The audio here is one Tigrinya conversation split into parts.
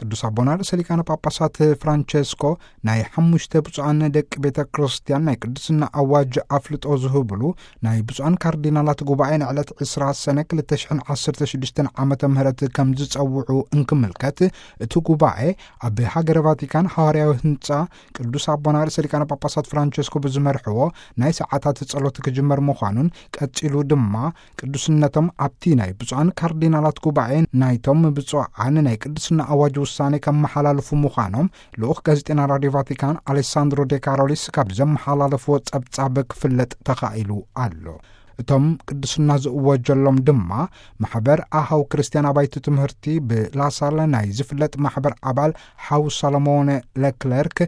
ቅዱስ ኣቦና ርእሰ ሊቃነ ጳጳሳት ፍራንቸስኮ ናይ ሓሙሽተ ብፁዓን ደቂ ቤተ ክርስቲያን ናይ ቅድስና ኣዋጅ ኣፍልጦ ዝህብሉ ናይ ብፁዓን ካርዲናላት ጉባኤ ንዕለት ዕስራ ሰነ ክልተ ሽሕን ዓሰርተ ሽዱሽተን ዓመተ ምህረት ከም ዝጸውዑ እንክምልከት፣ እቲ ጉባኤ ኣብ ሃገረ ቫቲካን ሃዋርያዊ ህንጻ ቅዱስ ኣቦና ርእሰ ሊቃነ ጳጳሳት ፍራንቸስኮ ብዝመርሕዎ ናይ ሰዓታት ጸሎት ክጅመር ምዃኑን፣ ቀጺሉ ድማ ቅዱስነቶም ኣብቲ ናይ ብፁዓን ካርዲናላት ጉባኤ ናይቶም ብፁዓን ናይ ቅድስና ኣዋጅ ውሳኔ ከመሓላልፉ ምዃኖም ልኡኽ ጋዜጠና ራድዮ ቫቲካን ኣሌሳንድሮ ዴ ካሮሊስ ካብ ዘመሓላለፍዎ ጸብጻብ ክፍለጥ ተኻኢሉ ኣሎ። እቶም ቅድስና ዝእወጀሎም ድማ ማሕበር ኣሃው ክርስትያን ኣባይቲ ትምህርቲ ብላሳለ ናይ ዝፍለጥ ማሕበር ኣባል ሓው ሰሎሞን ለክለርክ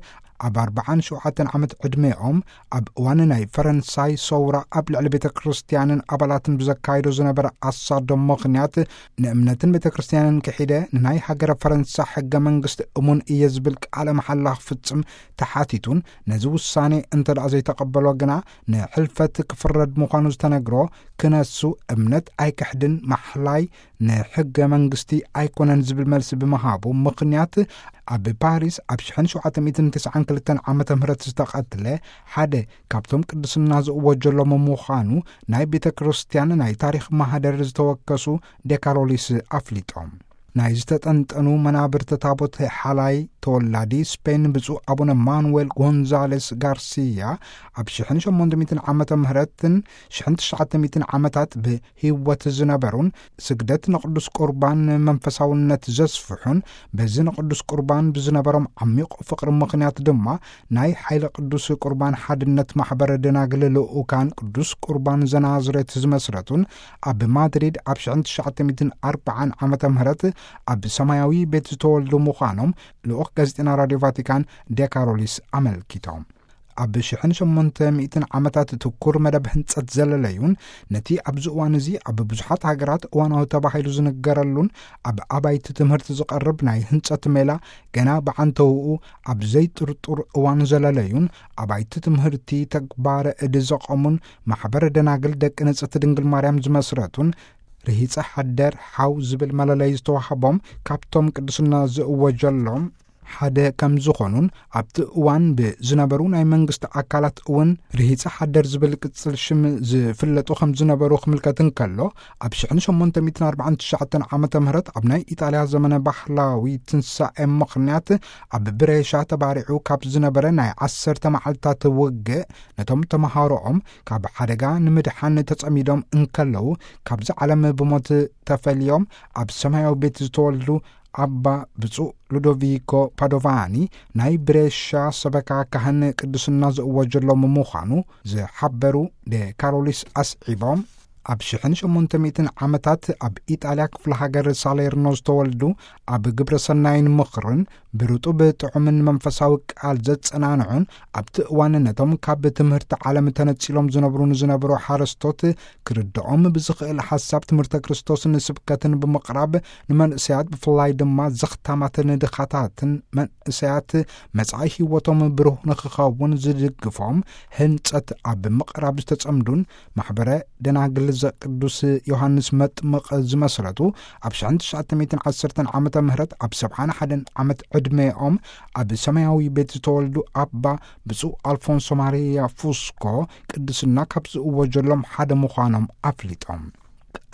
ኣብ ኣርባዓን ሸውዓተን ዓመት ዕድሜኦም ኣብ እዋን ናይ ፈረንሳይ ሰውራ ኣብ ልዕሊ ቤተ ክርስቲያንን ኣባላትን ብዘካየዶ ዝነበረ ኣሳዶ ምኽንያት ንእምነትን ቤተ ክርስቲያንን ክሒደ ንናይ ሃገረ ፈረንሳ ሕገ መንግስቲ እሙን እየ ዝብል ቃለ መሓላ ክፍጽም ተሓቲቱን ነዚ ውሳኔ እንተ ደኣ ዘይተቐበሎ ግና ንሕልፈት ክፍረድ ምዃኑ ዝተነግሮ ክነሱ እምነት ኣይክሕድን ማሕላይ ንሕገ መንግስቲ ኣይኮነን ዝብል መልሲ ብምሃቡ ምኽንያት ኣብ ፓሪስ ኣብ ሽሕን ሸውዓተ ሚእትን ተስዓን ክልተን ዓመተ ምህረት ዝተቐትለ ሓደ ካብቶም ቅድስና ዝእወጀሎም ምዃኑ ናይ ቤተ ክርስቲያን ናይ ታሪኽ ማህደር ዝተወከሱ ዴካሮሊስ ኣፍሊጦም። ናይ ዝተጠንጠኑ መናብርተ ታቦት ሓላይ ተወላዲ ስፔን ብፁዕ ኣቡነ ማኑዌል ጎንዛሌስ ጋርሲያ ኣብ ሽሕን ሸሞንተ ሚእትን ዓመተ ምህረትን ሽሕን ትሽዓተ ሚእትን ዓመታት ብህይወት ዝነበሩን ስግደት ንቅዱስ ቁርባን መንፈሳውነት ዘስፍሑን በዚ ንቅዱስ ቁርባን ብዝነበሮም ዓሚቕ ፍቕሪ ምኽንያት ድማ ናይ ሓይለ ቅዱስ ቁርባን ሓድነት ማሕበረ ደናግል ልኡካን ቅዱስ ቁርባን ዘናዝሬት ዝመስረቱን ኣብ ማድሪድ ኣብ ሽሕን ትሽዓተ ሚእትን ኣርባዓን ዓመተ ምህረት ኣብ ሰማያዊ ቤት ዝተወልዱ ምዃኖም ልኡኽ ጋዜጠና ራድዮ ቫቲካን ዴካሮሊስ ኣመልኪቶም። ኣብ ሽሕን ሸሞንተ ሚእትን ዓመታት ትኩር መደብ ህንጸት ዘለለዩን ነቲ ኣብዚ እዋን እዚ ኣብ ብዙሓት ሃገራት እዋናዊ ተባሂሉ ዝንገረሉን ኣብ ኣባይቲ ትምህርቲ ዝቐርብ ናይ ህንጸት ሜላ ገና ብዓንተውኡ ኣብ ዘይጥርጡር እዋን ዘለለዩን ኣባይቲ ትምህርቲ ተግባረ እድ ዘቐሙን ማሕበረ ደናግል ደቂ ንጽሕቲ ድንግል ማርያም ዝመስረቱን ርሂጸ ሓደር ሓው ዝብል መለለይ ዝተዋህቦም ካብቶም ቅድስና ዝእወጀሎም ሓደ ከም ዝኾኑን ኣብቲ እዋን ብዝነበሩ ናይ መንግስቲ ኣካላት እውን ርሂጸ ሓደር ዝብል ቅጽል ሽም ዝፍለጡ ከም ዝነበሩ ክምልከት እንከሎ ኣብ ሽሕን ሸሞንተ ሚእትን ኣርባዓን ትሽዓተን ዓመተ ምህረት ኣብ ናይ ኢጣልያ ዘመነ ባህላዊ ትንሳኤ ምኽንያት ኣብ ብሬሻ ተባሪዑ ካብ ዝነበረ ናይ ዓሰርተ መዓልታት ውግእ ነቶም ተመሃሮኦም ካብ ሓደጋ ንምድሓን ተጸሚዶም እንከለዉ ካብዚ ዓለም ብሞት ተፈልዮም ኣብ ሰማያዊ ቤት ዝተወልዱ ኣባ ብፁዕ ሉዶቪኮ ፓዶቫኒ ናይ ብሬሻ ሰበካ ካህን ቅድስና ዝእወጀሎም ምዃኑ ዝሓበሩ ዴካሮሊስ ኣስዒቦም ኣብ ሽሕን ሸሞንተ ሚእትን ዓመታት ኣብ ኢጣልያ ክፍለ ሃገር ሳሌርኖ ዝተወልዱ ኣብ ግብረ ሰናይን ምኽርን ብርጡብ ጥዑምን መንፈሳዊ ቃል ዘጸናንዑን ኣብቲ እዋን ነቶም ካብ ትምህርቲ ዓለም ተነጺሎም ዝነብሩ ንዝነበሩ ሓረስቶት ክርድኦም ብዝኽእል ሓሳብ ትምህርተ ክርስቶስን ስብከትን ብምቕራብ ንመንእሰያት ብፍላይ ድማ ዘኽታማትን ድኻታትን መንእሰያት መጻኢ ህይወቶም ብሩህ ንኽኸውን ዝድግፎም ህንጸት ኣብ ምቕራብ ዝተጸምዱን ማሕበረ ደናግል ዘቅዱስ ዮሃንስ መጥምቕ ዝመስረቱ ኣብ ሽሕን ትሽዓተ ሚእትን ዓሰርተን ዓመተ ምህረት ኣብ ሰብዓን ሓደን ዓመት ዕድሜኦም ኣብ ሰማያዊ ቤት ዝተወልዱ ኣባ ብፁዕ ኣልፎንሶ ማሪያ ፉስኮ ቅድስና ካብ ዝእወጀሎም ሓደ ምዃኖም ኣፍሊጦም።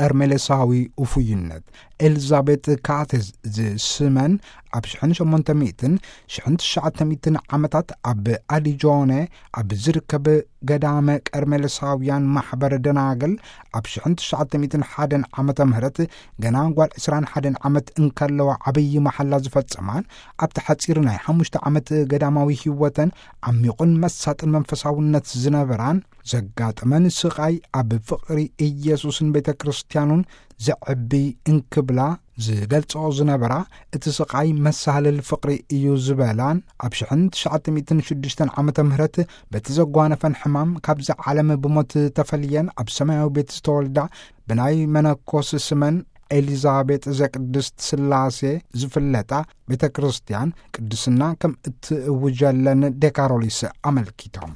ቀርሜሌሳዊ ውፉይነት ኤልዛቤጥ ካቴዝ ዝስመን ኣብ ሽሕን ሸሞንተ ሚእትን ሽሕን ትሽዓተ ሚእትን ዓመታት ኣብ ኣዲጆነ ኣብ ዝርከብ ገዳመ ቀርሜሌሳውያን ማሕበረ ደናግል ኣብ ሽሕን ትሽዓተ ሚእትን ሓደን ዓመተ ምህረት ገና ጓል ዕስራን ሓደን ዓመት እንከለዋ ዓብዪ መሓላ ዝፈጸማን ኣብቲ ሓጺር ናይ ሓሙሽተ ዓመት ገዳማዊ ህይወተን ዓሚቑን መሳጥን መንፈሳውነት ዝነበራን ዘጋጠመን ስቓይ ኣብ ፍቕሪ ኢየሱስን ቤተ ክርስቲያኑን ዘዕቢ እንክብላ ዝገልጽኦ ዝነበራ እቲ ስቓይ መሳልል ፍቕሪ እዩ ዝበላን ኣብ ሽሕን ትሽዓተ ሚእትን ሽዱሽተን ዓመተ ምህረት በቲ ዘጓነፈን ሕማም ካብዚ ዓለም ብሞት ተፈልየን ኣብ ሰማያዊ ቤት ዝተወልዳ ብናይ መነኮስ ስመን ኤሊዛቤጥ ዘቅድስት ስላሴ ዝፍለጣ ቤተ ክርስቲያን ቅድስና ከም እትእውጀለን ዴካሮሊስ ኣመልኪቶም።